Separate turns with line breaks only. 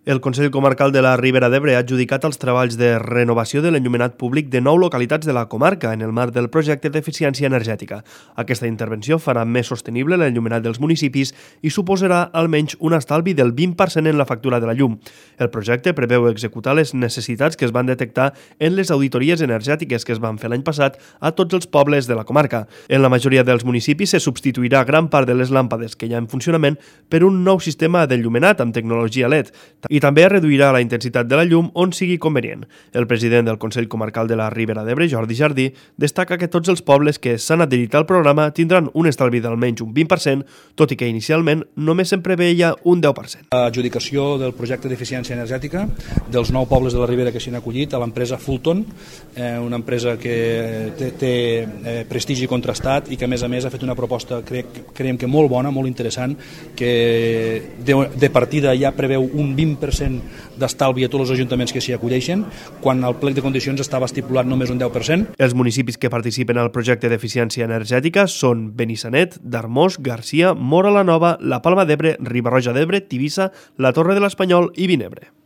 El Consell Comarcal de la Ribera d'Ebre ha adjudicat els treballs de renovació de l'enllumenat públic de 9 localitats de la comarca en el marc del projecte d'eficiència energètica. Aquesta intervenció farà més sostenible l'enllumenat dels municipis i suposarà almenys un estalvi del 20% en la factura de la llum. El projecte preveu executar les necessitats que es van detectar en les auditories energètiques que es van fer l'any passat a tots els pobles de la comarca. En la majoria dels municipis se substituirà gran part de les làmpades que hi ha en funcionament per un nou sistema d'enllumenat amb tecnologia LED. I també reduirà la intensitat de la llum on sigui convenient. El president del Consell Comarcal de la Ribera d'Ebre, Jordi Jardí, destaca que tots els pobles que s'han adherit al programa tindran un estalvi d'almenys un 20%, tot i que inicialment només se'n preveia un 10%.
L'adjudicació del projecte d'eficiència energètica dels 9 pobles de la Ribera que s'han acollit a l'empresa Fulton, una empresa que té prestigi contrastat i que a més ha fet una proposta, creiem que molt bona, molt interessant, que de partida ja preveu un 20% d'estalvi a tots els ajuntaments que s'hi acolleixen, quan el plec de condicions estava estipulat només un 10%.
Els municipis que participen al projecte d'eficiència energètica són Benissanet, d'Armós, Garcia, Móra la Nova, la Palma d'Ebre, Riba-roja d'Ebre, Tivissa, la Torre de l'Espanyol i Vinebre.